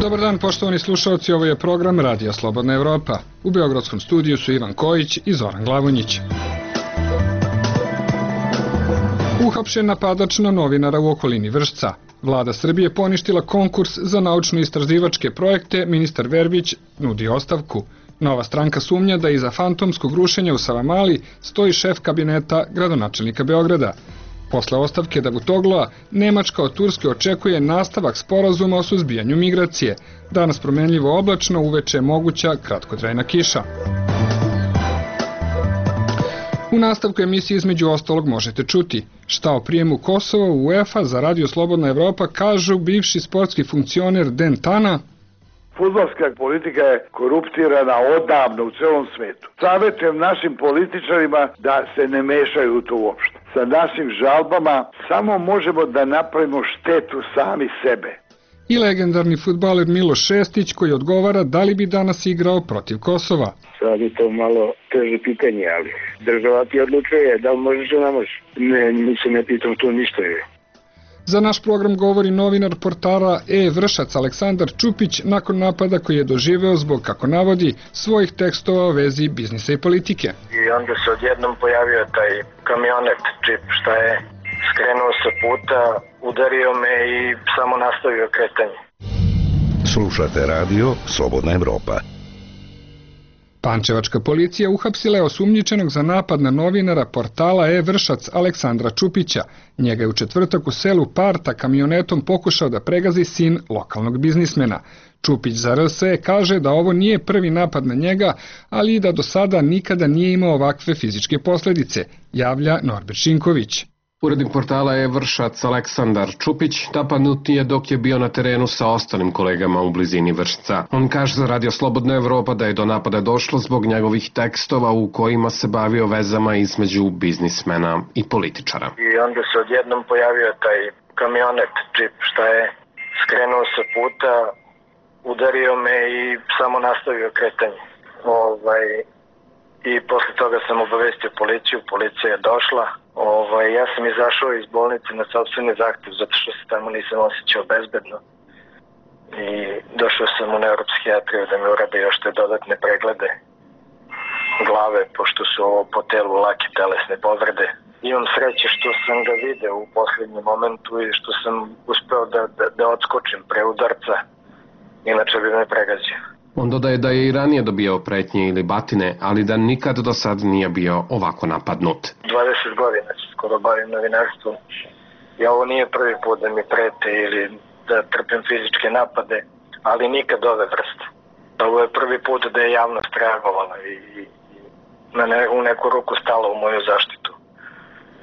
Dobar dan, poštovani slušalci, ovo je program Radija Slobodna Evropa. U beogradskom studiju su Ivan Kojić i Zoran Glavonjić. Uhapšen napadač na novinara u okolini Vršca. Vlada Srbije poništila konkurs za naučno-istraživačke projekte, ministar Verbić nudi ostavku. Nova stranka sumnja da iza fantomskog rušenja u Savamali stoji šef kabineta gradonačelnika Beograda. Posle ostavke Davutogloa, Nemačka od Turske očekuje nastavak sporazuma o suzbijanju migracije. Danas promenljivo oblačno, uveče je moguća kratkotrajna kiša. U nastavku emisije između ostalog možete čuti šta o prijemu Kosova u UEFA za Radio Slobodna Evropa kažu bivši sportski funkcioner Den Tana. Fudbalska politika je koruptirana odavno u celom svetu. Savjetujem našim političarima da se ne mešaju u to uopšte. Sa našim žalbama samo možemo da napravimo štetu sami sebe. I legendarni fudbaler Miloš Šestić koji odgovara da li bi danas igrao protiv Kosova. Sad je to malo teže pitanje, ali država ti odlučuje da li možeš ili ne možeš. Nisam ne pitam to ništa je. Za naš program govori novinar portala Vršac Aleksandar Čupić nakon napada koji je doživeo zbog, kako navodi, svojih tekstova o vezi biznisa i politike. I onda se odjednom pojavio taj kamionet, džip, šta je skrenuo sa puta, udario me i samo nastavio kretanje. Slušate radio Slobodna Evropa. Pančevačka policija uhapsila je osumnjičenog za napad na novinara portala Vršac Aleksandra Čupića. Njega je u četvrtak u selu Parta kamionetom pokušao da pregazi sin lokalnog biznismena. Čupić za RSE kaže da ovo nije prvi napad na njega, ali i da do sada nikada nije imao ovakve fizičke posledice, javlja Norbert Šinković. Urednik portala Vršac Aleksandar Čupić napadnut je dok je bio na terenu sa ostalim kolegama u blizini Vršca. On kaže za Radio Slobodna Evropa da je do napada došlo zbog njegovih tekstova u kojima se bavio vezama između biznismena i političara. I onda se odjednom pojavio taj kamionet, džip, šta je skrenuo sa puta, udario me i samo nastavio kretanje. I posle toga sam obavestio policiju, policija je došla. Ja sam izašao iz bolnice na sopstveni zahtev zato što se tamo nisam osjećao bezbedno. I došao sam u neuropsihijatriju da mi urade još te dodatne preglede glave, pošto su ovo po telu lake telesne povrede. Imam sreće što sam ga video u poslednjem momentu i što sam uspeo da odskočim pre udarca, inače bi me pregazio. On dodaje da je i ranije dobijao pretnje ili batine, ali da nikad do sad nije bio ovako napadnut. 20 godina se skoro bavim novinarstvom i ovo nije prvi put da mi prete ili da trpim fizičke napade, ali nikad ove vrste. Ovo je prvi put da je javnost reagovala i u neku ruku stala u moju zaštitu.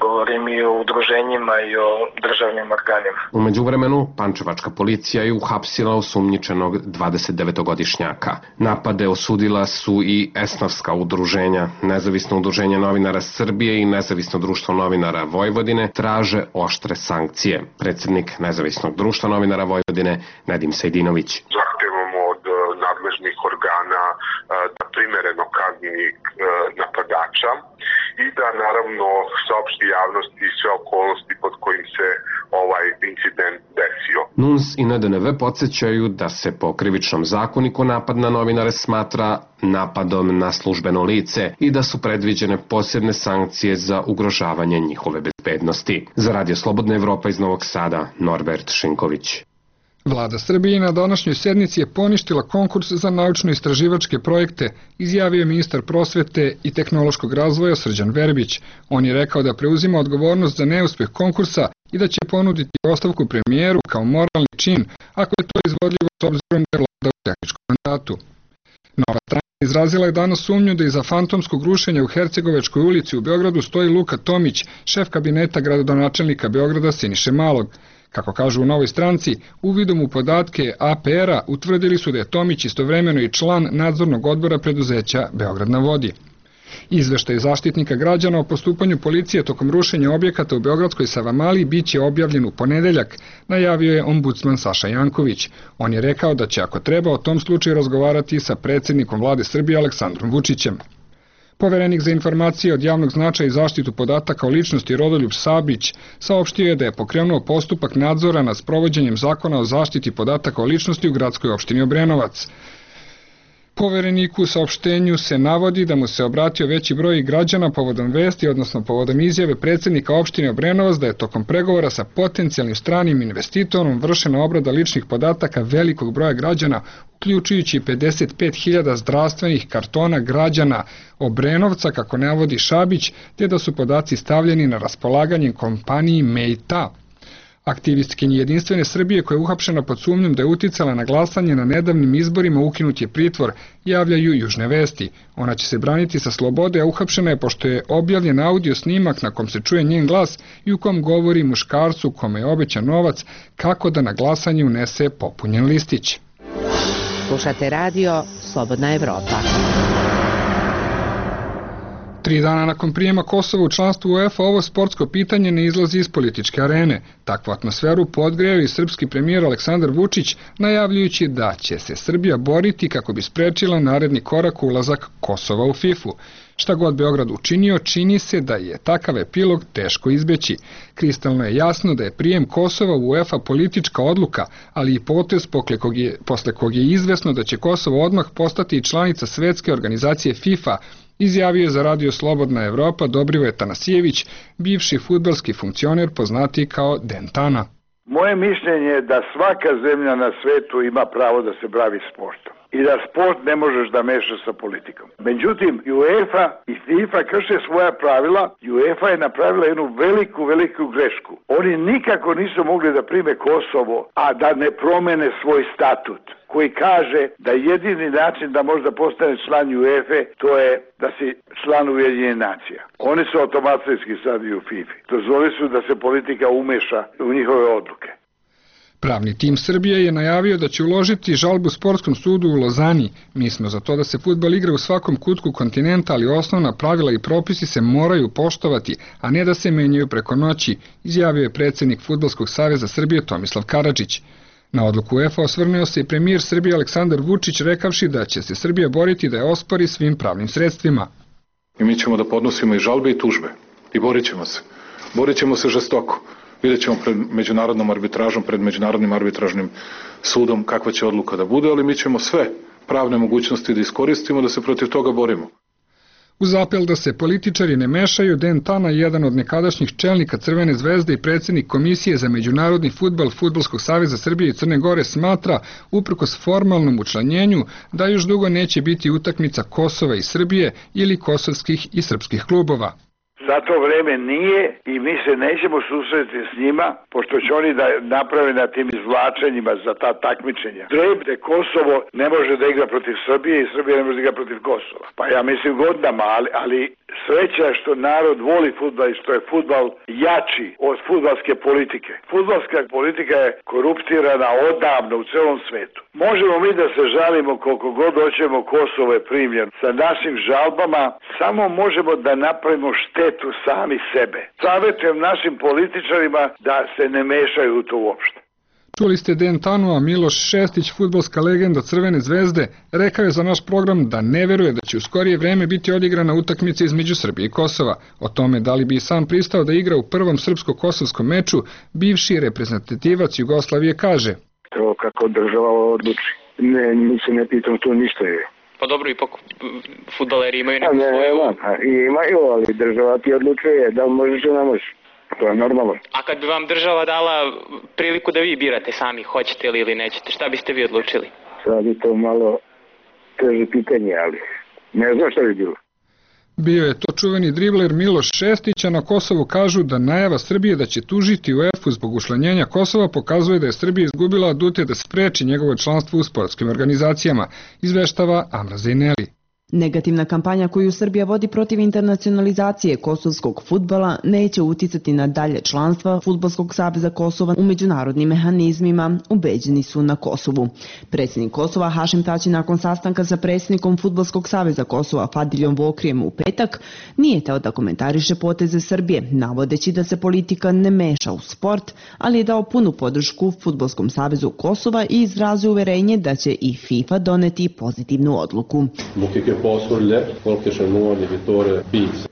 Govorim i o udruženjima i o državnim organima. U međuvremenu, pančevačka policija je uhapsila osumnjičenog 29-godišnjaka. Napade osudila su i esnafska udruženja. Nezavisno udruženje novinara Srbije i Nezavisno društvo novinara Vojvodine traže oštre sankcije. Predsjednik Nezavisnog društva novinara Vojvodine, Nedim Sejdinović. Zahtevamo od nadležnih organa da primereno kazni napadača i da naravno saopšti javnosti sve okolnosti pod kojim se ovaj incident desio. NUNS i NDNV podsjećaju da se po krivičnom zakoniku napad na novinare smatra napadom na službeno lice i da su predviđene posebne sankcije za ugrožavanje njihove bezbednosti. Za Radio Slobodna Evropa iz Novog Sada, Norbert Šinković. Vlada Srbije na današnjoj sednici je poništila konkurs za naučno-istraživačke projekte, izjavio je ministar prosvete i tehnološkog razvoja Srđan Verbić. On je rekao da preuzima odgovornost za neuspeh konkursa i da će ponuditi ostavku premijeru kao moralni čin ako je to izvodljivo s obzirom da je vlada u tehničkom mandatu. Nova stranka izrazila je danas sumnju da iza fantomskog rušenja u Hercegovačkoj ulici u Beogradu stoji Luka Tomić, šef kabineta gradonačelnika Beograda Siniše Malog. Kako kažu u Novoj stranci, uvidom u podatke APR-a utvrdili su da je Tomić istovremeno i član nadzornog odbora preduzeća Beograd na vodi. Izveštaj Zaštitnika građana o postupanju policije tokom rušenja objekata u beogradskoj Savamali biće objavljen u ponedeljak, najavio je ombudsman Saša Janković. On je rekao da će ako treba o tom slučaju razgovarati sa predsjednikom vlade Srbije Aleksandrom Vučićem. Poverenik za informacije od javnog značaja i zaštitu podataka o ličnosti Rodoljub Sabrić saopštio je da je pokrenuo postupak nadzora nad sprovođenjem zakona o zaštiti podataka o ličnosti u gradskoj opštini Obrenovac. Povereniku u saopštenju se navodi da mu se obratio veći broj građana povodom vesti, odnosno povodom izjave predsjednika opštine Obrenovac da je tokom pregovora sa potencijalnim stranim investitorom vršena obrada ličnih podataka velikog broja građana, uključujući 55.000 zdravstvenih kartona građana Obrenovca, kako navodi Šabić, te da su podaci stavljeni na raspolaganje kompaniji Mejta. Aktivistkinji Jedinstvene Srbije koja je uhapšena pod sumnjom da je uticala na glasanje na nedavnim izborima ukinut je pritvor, javljaju Južne vesti. Ona će se braniti sa slobode, a uhapšena je pošto je objavljen audio snimak na kom se čuje njen glas i u kom govori muškarcu kome je obećan novac kako da na glasanje unese popunjen listić. Slušate radio Slobodna Evropa. 3 dana nakon prijema Kosova u članstvu UEFA ovo sportsko pitanje ne izlazi iz političke arene. Takvu atmosferu podgreo i srpski premijer Aleksandar Vučić, najavljujući da će se Srbija boriti kako bi sprečila naredni korak ulazak Kosova u FIFA-u. Šta god Beograd učinio, čini se da je takav epilog teško izbeći. Kristalno je jasno da je prijem Kosova u UEFA politička odluka, ali i potez posle kog je izvesno da će Kosovo odmah postati članica svetske organizacije FIFA, izjavio je za radio Slobodna Evropa Dobrivoje Tanasijević, bivši fudbalski funkcioner poznati kao Dentana. Moje mišljenje je da svaka zemlja na svetu ima pravo da se bavi sportom i da sport ne možeš da mešaš sa politikom. Međutim, UEFA i FIFA krše svoja pravila i UEFA je napravila jednu veliku grešku. Oni nikako nisu mogli da prime Kosovo, a da ne promene svoj statut, koji kaže da jedini način da možda postane član UEFA to je da si član Ujedinjenih nacija. Oni su automatski sad i u FIFA. Dozvoli su da se politika umeša u njihove odluke. Pravni tim Srbije je najavio da će uložiti žalbu Sportskom sudu u Lozani. Mi smo za to da se fudbal igra u svakom kutku kontinenta, ali osnovna pravila i propisi se moraju poštovati, a ne da se menjaju preko noći, izjavio je predsjednik Fudbalskog saveza Srbije Tomislav Karadžić. Na odluku UEFA osvrnuo se i premijer Srbije Aleksandar Vučić, rekavši da će se Srbija boriti da je ospori svim pravnim sredstvima. I mi ćemo da podnosimo i žalbe i tužbe i borit ćemo se. Borit ćemo se žestoko. Vidjet ćemo pred međunarodnom arbitražom, pred međunarodnim arbitražnim sudom kakva će odluka da bude, ali mi ćemo sve pravne mogućnosti da iskoristimo da se protiv toga borimo. Uz apel da se političari ne mešaju, Dentana, jedan od nekadašnjih čelnika Crvene zvezde i predsjednik Komisije za međunarodni fudbal Fudbalskog saveza Srbije i Crne Gore, smatra, uprkos formalnom učlanjenju, da još dugo neće biti utakmica Kosova i Srbije ili kosovskih i srpskih klubova. Za to vreme nije i mi se nećemo susreti s njima, pošto će oni da naprave na tim izvlačenjima za ta takmičenja. Trebne Kosovo ne može da igra protiv Srbije i Srbija ne može da igra protiv Kosova. Pa ja mislim godinama, ali sreća što narod voli fudbal i što je fudbal jači od fudbalske politike. Fudbalska politika je koruptirana odavno u celom svetu. Možemo mi da se žalimo koliko god hoćemo, Kosovo je primljen. Sa našim žalbama samo možemo da napravimo štetu sami sebe. Savjetujem našim političarima da se ne mešaju u to uopšte. Čuli ste Dentanu, a Miloš Šestić, fudbalska legenda Crvene zvezde, rekao je za naš program da ne veruje da će u skorije vreme biti odigrana utakmica između Srbije i Kosova. O tome da li bi sam pristao da igra u prvom srpsko-kosovskom meču, bivši reprezentativac Jugoslavije kaže: To kako država odluči. Ne, mi se ne pitam tu ništa je. Pa dobro, ipak fudbaleri imaju neku svoju... Imaju, ali država ti odlučuje da možeš ili ne možeš. To je normalno. A kad bi vam država dala priliku da vi birate sami, hoćete li ili nećete, šta biste vi odlučili? Sad je to malo teže pitanje, ali ne znam šta bi bilo. Bio je to čuveni dribler Miloš Šestić, a na Kosovu kažu da najava Srbije da će tužiti UEFA zbog učlanjenja Kosova pokazuje da je Srbija izgubila adute da spreči njegovo članstvo u sportskim organizacijama, izveštava Amra Zejneli. Negativna kampanja koju Srbija vodi protiv internacionalizacije kosovskog fudbala neće uticati na dalje članstva Fudbalskog saveza Kosova u međunarodnim mehanizmima, ubeđeni su na Kosovu. Predsjednik Kosova Hašim Tači nakon sastanka sa predsjednikom Fudbalskog saveza Kosova Fadiljom Vokrijem u petak nije teo da komentariše poteze Srbije, navodeći da se politika ne meša u sport, ali je dao punu podršku Fudbalskom savezu Kosova i izrazio uverenje da će i FIFA doneti pozitivnu odluku.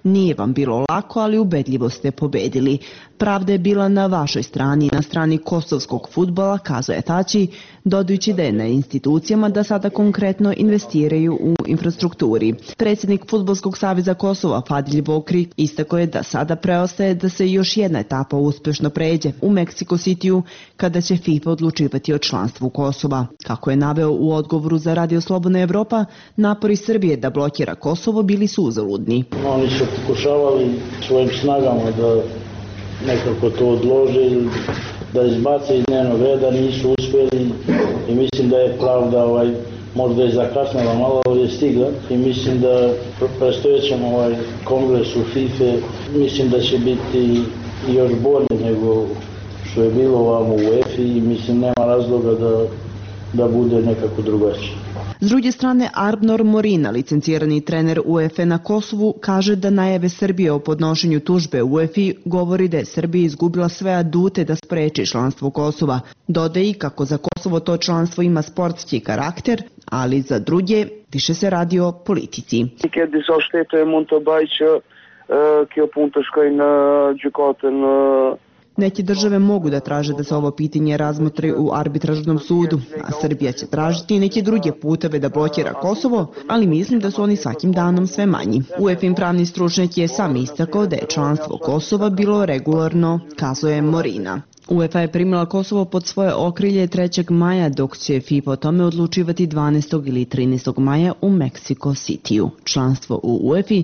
Nije vam bilo lako, ali ubedljivo ste pobedili. Pravda je bila na vašoj strani, na strani kosovskog fudbala, kazuje Tači, dodajući da je na institucijama da sada konkretno investiraju u infrastrukturi. Predsjednik Fudbalskog saveza Kosova, Fadilj Vokri, istako je da sada preostaje da se još jedna etapa uspješno pređe u Meksiko Cityu, kada će FIFA odlučivati o članstvu Kosova. Kako je naveo u odgovoru za Radio Slobodna Evropa, napori Srbije da blokira Kosovo bili su uzaludni. Oni su pokušavali svojim snagama da nekako to odlože, da izbace iz dnevnog reda, nisu uspjeli i mislim da je pravda možda je zakasnila malo, ali je stigla i mislim da predstojećem kongres u FIFA mislim da će biti još bolje nego što je bilo ovamo u UEFA i mislim nema razloga da bude nekako drugačije. S druge strane, Arbnor Morina, licencirani trener UEFA na Kosovu, kaže da najave Srbije o podnošenju tužbe UEFA govori da je Srbija izgubila sve adute da spreči članstvo Kosova. Dodaje i kako za Kosovo to članstvo ima sportski karakter, ali za druge više se radi o politici. Neke države mogu da traže da se ovo pitanje razmotri u arbitražnom sudu, a Srbija će tražiti neke druge puteve da blokira Kosovo, ali mislim da su oni svakim danom sve manji. UEFA pravni stručnjak je sam istakao da je članstvo Kosova bilo regularno, kazuje Morina. UEFA je primila Kosovo pod svoje okrilje 3. maja, dok će FIFA o tome odlučivati 12. ili 13. maja u Meksiko Cityu. Članstvo u UEFA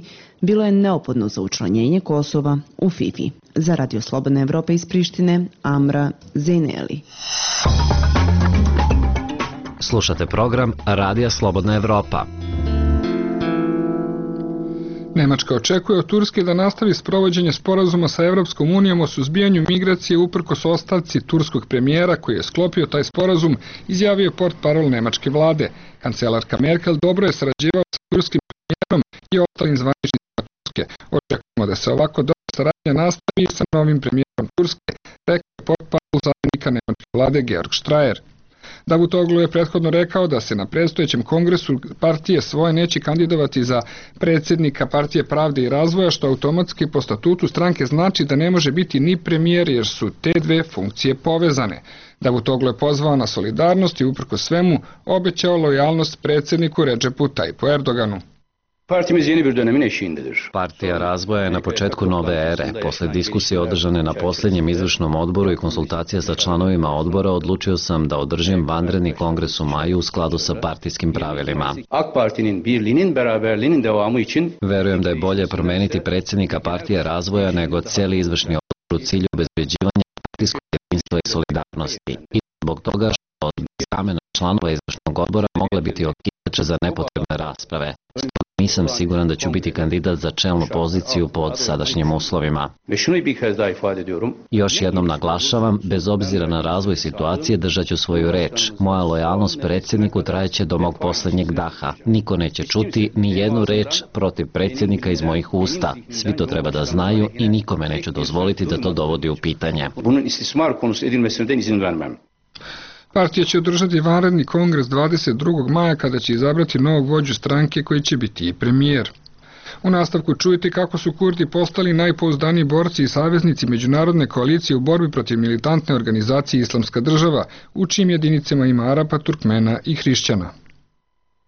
bilo je neophodno za učlanjenje Kosova u FIFA. Za Radio Slobodna Evropa iz Prištine, Amra Zeneli. Slušate program Radija Slobodna Evropa. Nemačka očekuje od Turske da nastavi sprovođenje sporazuma sa Evropskom unijom o suzbijanju migracije uprkos ostavci turskog premijera koji je sklopio taj sporazum, izjavio portparol nemačke vlade. Kancelarka Merkel dobro je sarađivala sa turskim premijerom i ostalim zvaničnicima Turske. Očekujemo da se ovako dobra saradnja nastavi sa novim premijerom Turske, rekao je portparol zamjenika nemačke vlade Georg Strayer. Davutoglu je prethodno rekao da se na predstojećem kongresu partije svoje neće kandidovati za predsjednika Partije pravde i razvoja, što automatski po statutu stranke znači da ne može biti ni premijer jer su te dve funkcije povezane. Davutoglu je pozvao na solidarnost i uprkos svemu obećao lojalnost predsjedniku Recepu Tayyipu Erdoganu. Partimiz yeni bir dönemin eşiğindedir. Partija razvoja je na početku nove ere. Posle diskusije održane na posljednjem izvršnom odboru i konsultacija sa članovima odbora, odlučio sam da održim vanredni kongres u maju u skladu sa partijskim pravilima. AK Parti'nin birliğinin beraberliğinin devamı için verujem da je bolje promeniti predsjednika Partije razvoja nego cijeli izvršni odbor u cilju obezbeđivanja partijskog jedinstva i solidarnosti. I zbog toga što od zamena članova izvršnog odbora mogle biti okidače za nepotrebne rasprave. Nisam siguran da ću biti kandidat za čelnu poziciju pod sadašnjim uslovima. Još jednom naglašavam, bez obzira na razvoj situacije držat ću svoju reč. Moja lojalnost predsjedniku trajeće do mog posljednjeg daha. Niko neće čuti ni jednu reč protiv predsjednika iz mojih usta. Svi to treba da znaju i nikome neću dozvoliti da to dovodi u pitanje. Partija će održati vanredni kongres 22. maja kada će izabrati novog vođu stranke koji će biti i premijer. U nastavku čujete kako su Kurdi postali najpouzdaniji borci i saveznici međunarodne koalicije u borbi protiv militantne organizacije Islamska država, u čijim jedinicama ima Arapa, Turkmena i Hrišćana.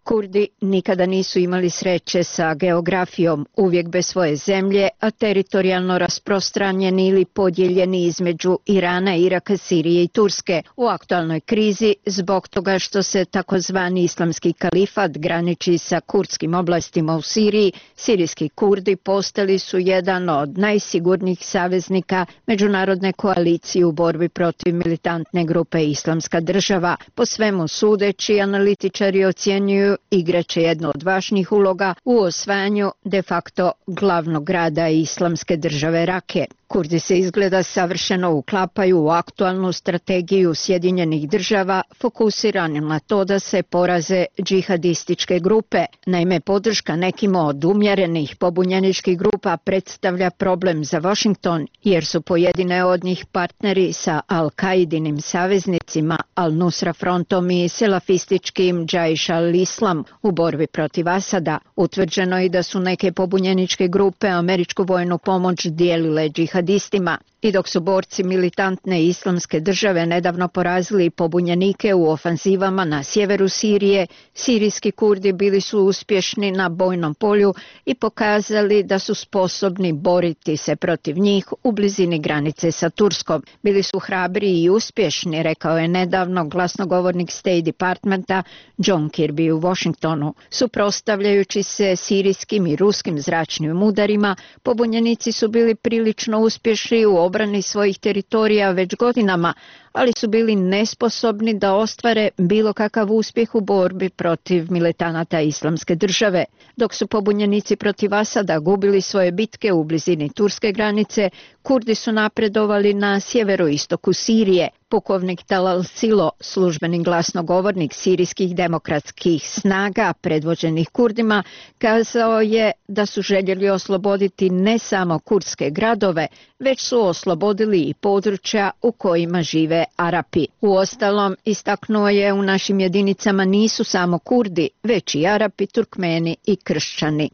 Kurdi nikada nisu imali sreće sa geografijom, uvijek bez svoje zemlje, a teritorijalno rasprostranjeni ili podijeljeni između Irana, Iraka, Sirije i Turske. U aktualnoj krizi, zbog toga što se takozvani islamski kalifat graniči sa kurdskim oblastima u Siriji, sirijski Kurdi postali su jedan od najsigurnijih saveznika međunarodne koalicije u borbi protiv militantne grupe Islamska država. Po svemu sudeći, analitičari ocjenjuju igraće jednu od važnijih uloga u osvajanju de facto glavnog grada Islamske države Rake. Kurdi se izgleda savršeno uklapaju u aktualnu strategiju Sjedinjenih država fokusiranim na to da se poraze džihadističke grupe. Naime, podrška nekim od umjerenih pobunjeničkih grupa predstavlja problem za Washington jer su pojedine od njih partneri sa Al-Kaidinim saveznicima Al-Nusra frontom i salafističkim Jaish al-Islam islam u borbi protiv Asada. Utvrđeno je da su neke pobunjeničke grupe američku vojnu pomoć dijelile džihadistima. I dok su borci militantne islamske države nedavno porazili pobunjenike u ofanzivama na sjeveru Sirije, sirijski Kurdi bili su uspješni na bojnom polju i pokazali da su sposobni boriti se protiv njih u blizini granice sa Turskom. Bili su hrabri i uspješni, rekao je nedavno glasnogovornik State Departmenta John Kirby u Washingtonu. Suprotstavljajući se sirijskim i ruskim zračnim udarima, pobunjenici su bili prilično uspješni u obrani svojih teritorija već godinama, ali su bili nesposobni da ostvare bilo kakav uspjeh u borbi protiv militanata islamske države. Dok su pobunjenici protiv Asada gubili svoje bitke u blizini turske granice, Kurdi su napredovali na sjeveroistoku Sirije. Pukovnik Talal Silo, službeni glasnogovornik sirijskih demokratskih snaga predvođenih Kurdima, kazao je da su željeli osloboditi ne samo kurdske gradove, već su oslobodili i područja u kojima žive Arapi. Uostalom, istaknuo je, u našim jedinicama nisu samo Kurdi, već i Arapi, Turkmeni i kršćani.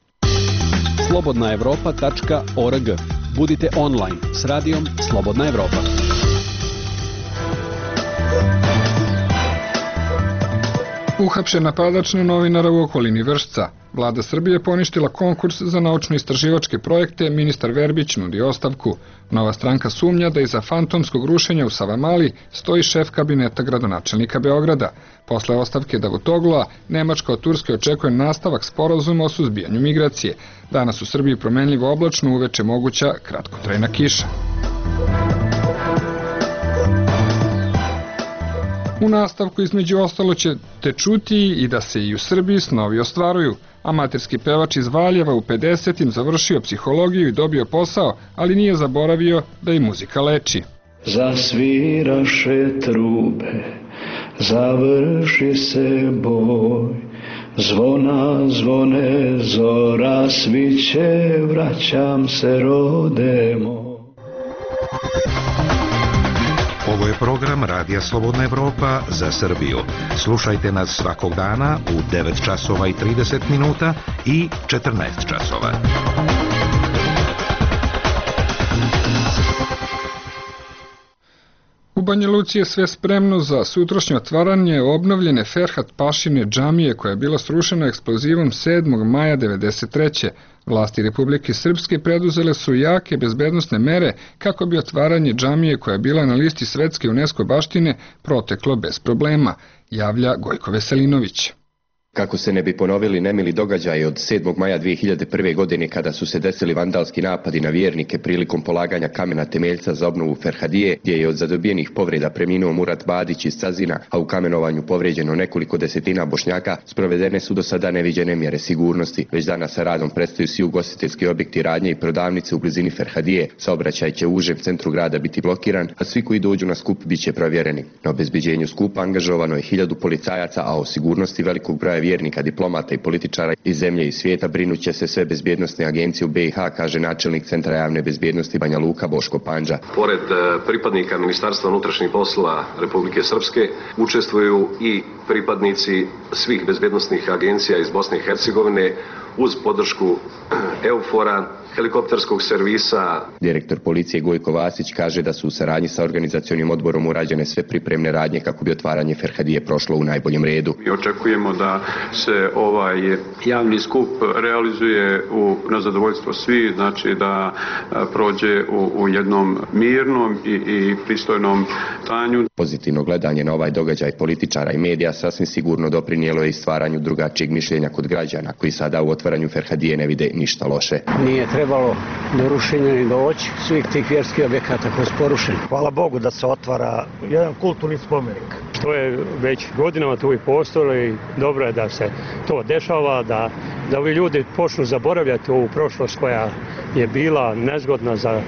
Slobodnaevropa.org. Budite online s radijom Slobodna Evropa. Uhapšen napadač na novinara u okolini Vršca. Vlada Srbije poništila konkurs za naučno-istraživačke projekte, ministar Verbić nudi ostavku. Nova stranka sumnja da iza fantomskog rušenja u Savamali stoji šef kabineta gradonačelnika Beograda. Posle ostavke Davutoglu'a, Nemačka od Turske očekuje nastavak sporazuma o suzbijanju migracije. Danas u Srbiji promenljivo oblačno, uveče moguća kratkotrajna kiša. U nastavku između ostalo ćete čuti i da se i u Srbiji snovi ostvaruju. Amaterski pevač iz Valjeva u 50. završio psihologiju i dobio posao, ali nije zaboravio da i muzika leči. Zasviraše trube, završi se boj, zvona zvone, zora sviće, vraćam se rode moj. Ovo je program Radija Slobodna Evropa za Srbiju. Slušajte nas svakog dana u 9 časova i 30 minuta i 14 časova. U Banja Luci je sve spremno za sutrašnje otvaranje obnovljene Ferhat Pašine džamije koja je bila srušena eksplozivom 7. maja 1993. Vlasti Republike Srpske preduzele su jake bezbednosne mere kako bi otvaranje džamije koja je bila na listi svetske UNESCO baštine proteklo bez problema, javlja Gojko Veselinović. Kako se ne bi ponovili nemili događaji od 7. maja 2001. godine kada su se desili vandalski napadi na vjernike prilikom polaganja kamena temeljca za obnovu Ferhadije, gdje je od zadobijenih povreda preminuo Murat Badić iz Cazina, a u kamenovanju povrijeđeno nekoliko desetina Bošnjaka, sprovedene su do sada neviđene mjere sigurnosti. Već danas sa radom predstoju svi ugostiteljski objekti, radnje i prodavnice u blizini Ferhadije. Saobraćaj će u užem centru grada biti blokiran, a svi koji dođu na skup bit će provjereni. Na obezbeđenju skupa angažovano je 1000 policajaca, a o sigurnosti velikog broja vjernika, diplomata i političara iz zemlje i svijeta brinuće se sve bezbjednostne agencije u BiH, kaže načelnik Centra javne bezbjednosti Banja Luka Boško Pandža. Pored pripadnika Ministarstva unutrašnjih poslova Republike Srpske učestvuju i pripadnici svih bezbjednostnih agencija iz Bosne i Hercegovine uz podršku EUFOR-a, helikopterskog servisa. Direktor policije Gojko Vasić kaže da su u saradnji sa organizacionim odborom urađene sve pripremne radnje kako bi otvaranje Ferhadije prošlo u najboljem redu. Mi očekujemo da se ovaj javni skup realizuje na zadovoljstvo svih, znači da prođe u jednom mirnom i pristojnom stanju. Pozitivno gledanje na ovaj događaj političara i medija sasvim sigurno doprinijelo je i stvaranju drugačijeg mišljenja kod građana, koji sada u otvaranju Ferhadije ne vide ništa loše. Nije trebalo do rušenja ni doći svih tih vjerskih objekata koji su porušeni. Hvala Bogu da se otvara jedan kulturni spomenik. To je već godinama tu i postojalo i dobro je da se to dešava, da ovi ljudi počnu zaboravljati ovu prošlost koja je bila nezgodna za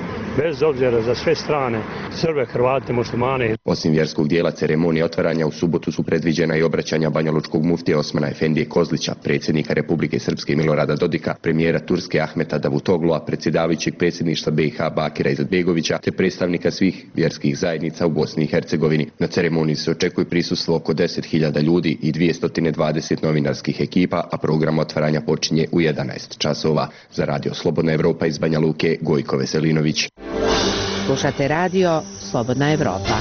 bez obzira za sve strane, Srbe, Hrvate, muslimane. Osim vjerskog dijela ceremonije otvaranja, u subotu su predviđena i obraćanja banjalučkog muftija Osmana Efendije Kozlića, predsjednika Republike Srpske Milorada Dodika, premijera Turske Ahmeta Davutoglua, predsjedavajućeg predsjedništva BiH Bakira Izetbegovića, te predstavnika svih vjerskih zajednica u Bosni i Hercegovini. Na ceremoniji se očekuje prisustvo oko 10.000 ljudi i 220 novinarskih ekipa, a program otvaranja počinje u 11 časova. Za Radio Slobodna Evropa iz Banja Luke, Gojko Veselinović. Slušate radio Slobodna Evropa.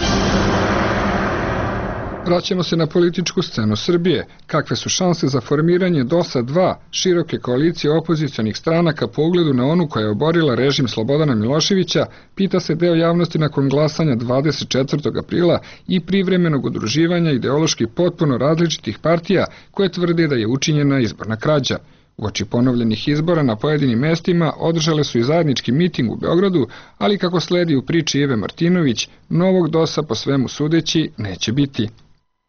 Vraćamo se na političku scenu Srbije. Kakve su šanse za formiranje DOS-a 2, široke koalicije opozicionih stranaka po ugledu na onu koja je oborila režim Slobodana Miloševića, pita se deo javnosti nakon glasanja 24. aprila i privremenog udruživanja ideološki potpuno različitih partija koje tvrde da je učinjena izborna krađa. Uoči ponovljenih izbora na pojedinim mestima održale su i zajednički miting u Beogradu, ali kako sledi u priči Ive Martinović, novog DOS-a po svemu sudeći neće biti.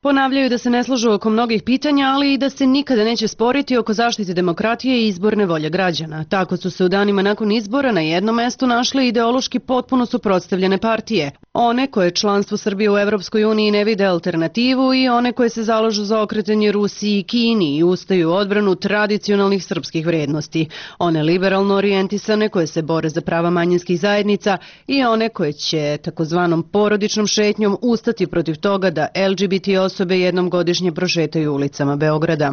Ponavljaju da se ne slažu oko mnogih pitanja, ali i da se nikada neće sporiti oko zaštite demokratije i izborne volje građana. Tako su se u danima nakon izbora na jednom mestu našle ideološki potpuno suprotstavljene partije. One koje članstvo Srbije u Evropskoj uniji ne vide alternativu i one koje se zalažu za okretanje Rusiji i Kini i ustaju u odbranu tradicionalnih srpskih vrednosti. One liberalno orijentisane koje se bore za prava manjinskih zajednica i one koje će takozvanom porodičnom šetnjom ustati protiv toga da LGBT osobe jednom godišnje prošetaju ulicama Beograda.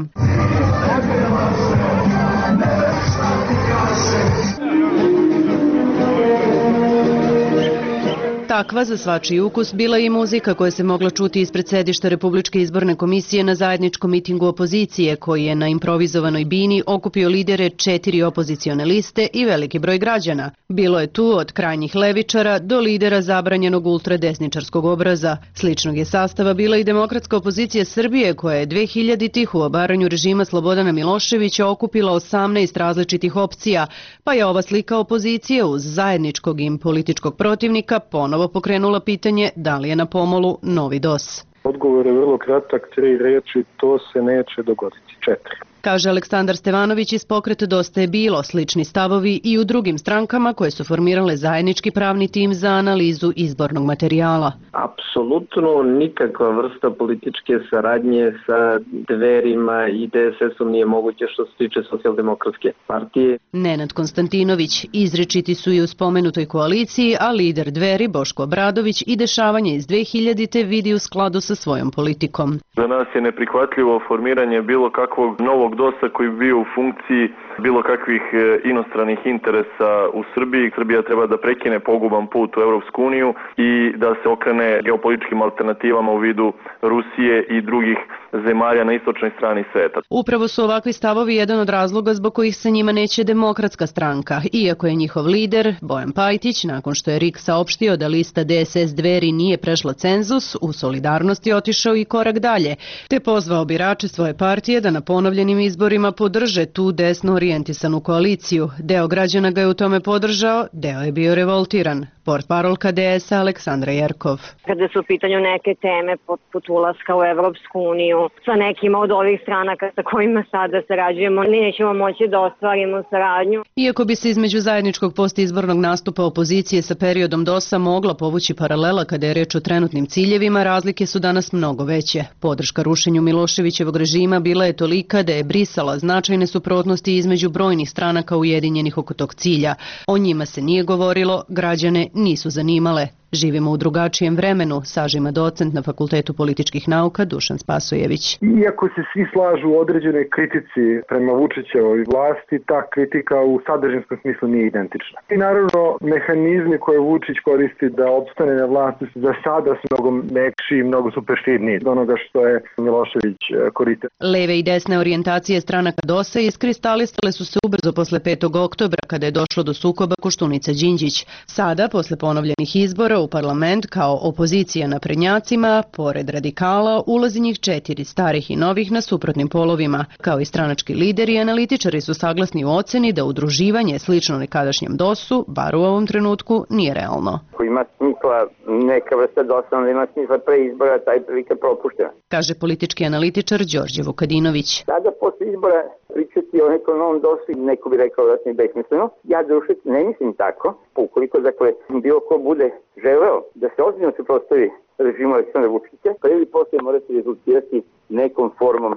Takva za svačiji ukus bila i muzika koja se mogla čuti ispred sedišta Republičke izborne komisije na zajedničkom mitingu opozicije koji je na improvizovanoj bini okupio lidere 4 opozicione liste i veliki broj građana. Bilo je tu od krajnjih levičara do lidera zabranjenog ultradesničarskog obraza. Sličnog je sastava bila i demokratska opozicija Srbije koja je 2000-ih u obaranju režima Slobodana Miloševića okupila 18 različitih opcija, pa je ova slika opozicije uz zajedničkog im političkog protivnika ponovo pokrenula pitanje da li je na pomolu novi DOS. Odgovor je vrlo kratak, 3 reči, to se neće dogoditi, 4. Kaže Aleksandar Stevanović iz pokreta Dosta je bilo, slični stavovi i u drugim strankama koje su formirale zajednički pravni tim za analizu izbornog materijala. Apsolutno nikakva vrsta političke saradnje sa Dverima i DSS-om nije moguće što se tiče socijaldemokratske partije. Nenad Konstantinović, izričiti su i u spomenutoj koaliciji, a lider Dveri Boško Obradović i dešavanje iz 2000-te vidi u skladu sa svojom politikom. Za nas je neprihvatljivo formiranje bilo kakvog novog DOS-a koji bi bio u funkciji bilo kakvih inostranih interesa u Srbiji. Srbija treba da prekine poguban put u Evropsku uniju i da se okrene geopolitičkim alternativama u vidu Rusije i drugih zemalja na istočnoj strani sveta. Upravo su ovakvi stavovi jedan od razloga zbog kojih se njima neće Demokratska stranka, iako je njihov lider, Bojan Pajtić, nakon što je RIK saopštio da lista DSS Dveri nije prešla cenzus, u solidarnosti otišao i korak dalje, te pozvao birače svoje partije da na ponovljenim izborima podrže tu desno orijentisanu koaliciju. Deo građana ga je u tome podržao, deo je bio revoltiran. Portparolka DS-a Aleksandra Jerkov. Kada su u pitanju neke teme poput ulaska u Evropsku uniju, sa nekima od ovih stranaka sa kojima sada sarađujemo, nećemo moći da ostvarimo saradnju. Iako bi se između zajedničkog postizbornog nastupa opozicije sa periodom DOS-a mogla povući paralela kada je reč o trenutnim ciljevima, razlike su danas mnogo veće. Podrška rušenju Miloševićevog režima bila je tolika da je brisala značajne suprotnosti između brojnih stranaka ujedinjenih oko tog cilja. O njima se nije govorilo, građane nisu zanimale. Živimo u drugačijem vremenu, sažima docent na Fakultetu političkih nauka Dušan Spasojević. Iako se svi slažu u određenoj kritici prema Vučićevoj vlasti, ta kritika u sadržinskom smislu nije identična. I naravno, mehanizmi koje Vučić koristi da opstane na vlasti za sada su mnogo mekši i mnogo superštidniji od onoga što je Milošević koristio. Leve i desne orijentacije stranaka DOS-a iskristalisale su se ubrzo posle 5. oktobra kada je došlo do sukoba Koštunica-Đinđić. Sada, posle ponovljenih izbora, u parlament kao opozicija naprednjacima, pored radikala, ulazi njih 4 starih i novih na suprotnim polovima. Kao i stranački lideri i analitičari su saglasni u oceni da udruživanje slično nekadašnjem DOS-u, bar u ovom trenutku, nije realno. Ako ima smisla neka vrsta DOS-a, onda ima smisla pre izbora, taj prilika propuštena. Kaže politički analitičar Đorđe Vukadinović. Sada posle izbora pričati o nekom novom DOS-u, neko bi rekao da je besmisleno. Ja dušet ne mislim tako, ukoliko dakle bilo ko bude želeo da se ozbiljno suprotstavi režimu Aleksandra Vučića, pa ili posle morate rezultirati nekom formom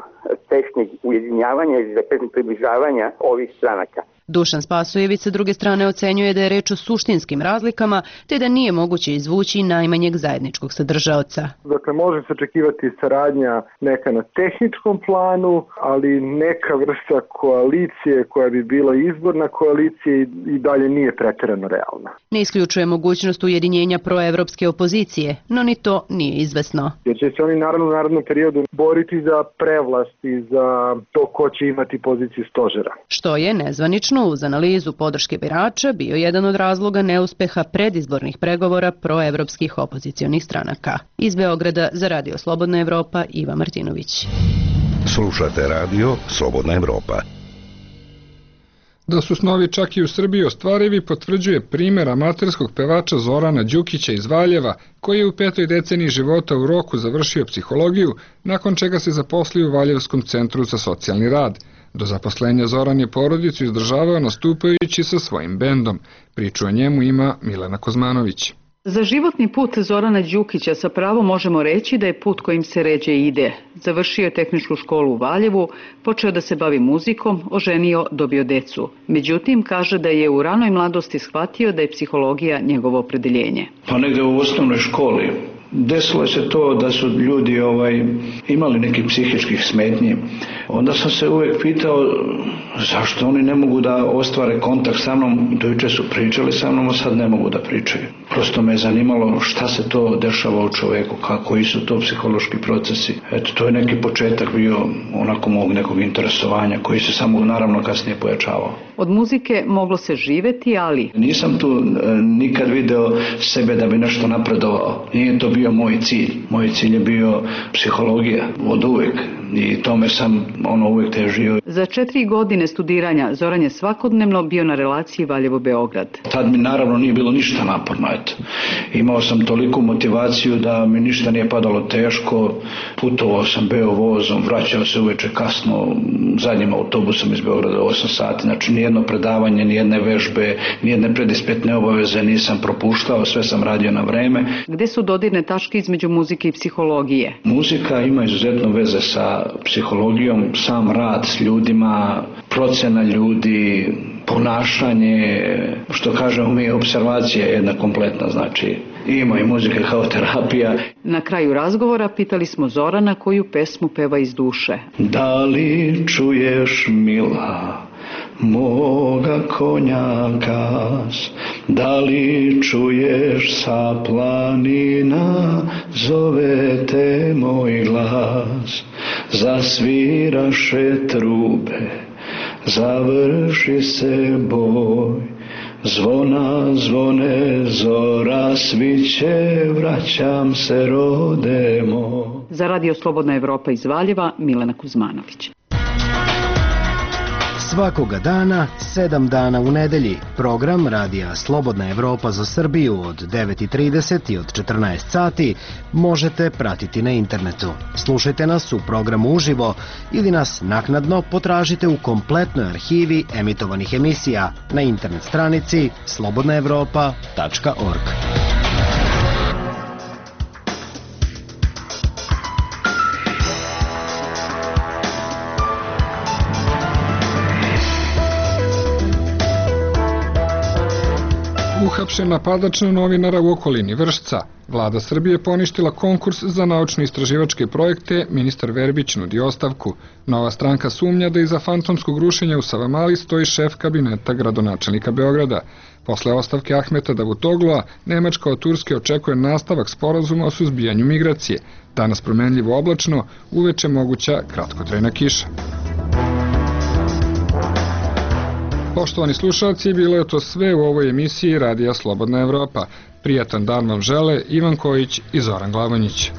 tešnjeg ujedinjavanja ili da kažem približavanja ovih stranaka. Dušan Spasojević sa druge strane ocenjuje da je reč o suštinskim razlikama, te da nije moguće izvući najmanjeg zajedničkog sadržaoca. Dakle, može se očekivati saradnja neka na tehničkom planu, ali neka vrsta koalicije koja bi bila izborna koalicija i dalje nije preterano realna. Ne isključuje mogućnost ujedinjenja proevropske opozicije, no ni to nije izvesno. Jer će se oni naravno u narednom periodu boriti za prevlast i za to ko će imati poziciju stožera. Što je nezvanično uz analizu podrške birača bio jedan od razloga neuspeha predizbornih pregovora proevropskih opozicionih stranaka. Iz Beograda za Radio Slobodna Evropa, Iva Martinović. Slušate radio Slobodna Evropa. Da su snovi čak i u Srbiji ostvarivi potvrđuje primjer amaterskog pevača Zorana Đukića iz Valjeva, koji je u 5. deceniji života u Roku završio psihologiju, nakon čega se zaposlio u Valjevskom centru za socijalni rad. Do zaposlenja Zoran je porodicu izdržavao nastupajući sa svojim bendom. Priču o njemu ima Milena Kozmanović. Za životni put Zorana Đukića sa pravom možemo reći da je put kojim se ređe ide. Završio je tehničku školu u Valjevu, počeo da se bavi muzikom, oženio, dobio decu. Međutim, kaže da je u ranoj mladosti shvatio da je psihologija njegovo opredeljenje. Pa negde u osnovnoj školi desilo se to da su ljudi imali nekih psihičkih smetnji. Onda sam se uvijek pitao zašto oni ne mogu da ostvare kontakt sa mnom. Dojuče su pričali sa mnom, a sad ne mogu da pričaju. Prosto me je zanimalo šta se to dešava u čoveku, koji su to psihološki procesi. Eto, to je neki početak bio onako mog nekog interesovanja koji se samo naravno kasnije pojačavao. Od muzike moglo se živeti, ali... Nisam tu nikad video sebe da bi nešto napredovao. Nije to bio moj cilj. Moj cilj je bio psihologija od uvek i tome sam uvek težio. Za 4 godine studiranja Zoran je svakodnevno bio na relaciji Valjevo-Beograd. Tad mi naravno nije bilo ništa naporno. Imao sam toliku motivaciju da mi ništa nije padalo teško. Putovao sam beo vozom, vraćao se uveče kasno zadnjim autobusom iz Beograda 8 sati. Znači nijedno predavanje, nijedne vežbe, nijedne predispitne obaveze nisam propuštao, sve sam radio na vreme. Gde su dodirne tačke između muzike i psihologije? Muzika ima izuzetno veze sa psihologijom, sam rad s ljudima, procena ljudi, ponašanje, što kažemo mi, observacija je jedna kompletna, znači ima i muzika kao terapija. Na kraju razgovora pitali smo Zorana koju pesmu peva iz duše. Da li čuješ, mila, moga konja gas, da li čuješ sa planina, zove te moj glas, zasviraše trube, završi se boj, zvona zvone, zora sviće, vraćam se rode moj. Za Radio Slobodna Evropa iz Valjeva, Milena Kuzmanović. Svakoga dana, 7 dana u nedelji, program Radija Slobodna Evropa za Srbiju od 9:30 i od 14 sati možete pratiti na internetu. Slušajte nas u programu uživo ili nas naknadno potražite u kompletnoj arhivi emitovanih emisija na internet stranici slobodnaevropa.org. Uhapšen napadač na novinara u okolini Vršca. Vlada Srbije poništila konkurs za naučno-istraživačke projekte, ministar Verbić nudi ostavku. Nova stranka sumnja da iza fantomskog rušenja u Savamali stoji šef kabineta gradonačelnika Beograda. Posle ostavke Ahmeta Davutoglua, Nemačka od Turske očekuje nastavak sporazuma o suzbijanju migracije. Danas promenljivo oblačno, uveče moguća kratkotrajna kiša. Poštovani slušalci, bilo je to sve u ovoj emisiji Radija Slobodna Evropa. Prijatan dan vam žele Ivan Kojić i Zoran Glavonjić.